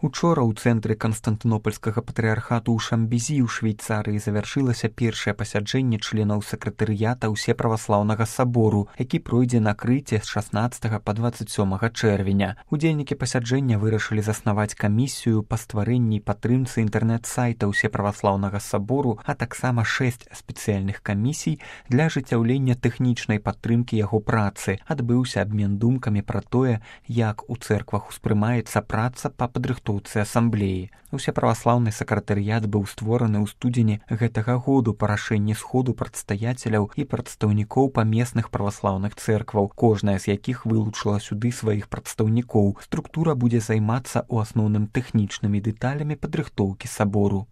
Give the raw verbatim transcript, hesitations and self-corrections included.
Учора ў цэнтры Канстантынопольскага патрыархату ў Шамбезі ў Швейцарыі завяршылася першае пасяджэнне членаў сакратарыята ўсеправаслаўнага сабору, які пройдзе на Крыце з шаснаццатага па дваццаць сёмага чэрвеня. Удзельнікі пасяджэння вырашылі заснаваць камісію па стварэнні і падтрымцы інтэрнэт-сайта ўсеправаслаўнага сабору, а таксама шэсць спецыяльных камісій для ажыццяўлення тэхнічнай падтрымкі яго працы. Адбыўся абмен думкамі пра тое, як у цэрквах успрымаецца праца па падрыхтоўцы асамблеі. Усеправаслаўны сакратарыят быў створаны ў студзені гэтага году па рашэнні сходу прадстаяцеляў і прадстаўнікоў памесных праваслаўных цэркваў, кожная з якіх вылучыла сюды сваіх прадстаўнікоў. Структура будзе займацца ў асноўным тэхнічнымі дэталямі падрыхтоўкі сабору.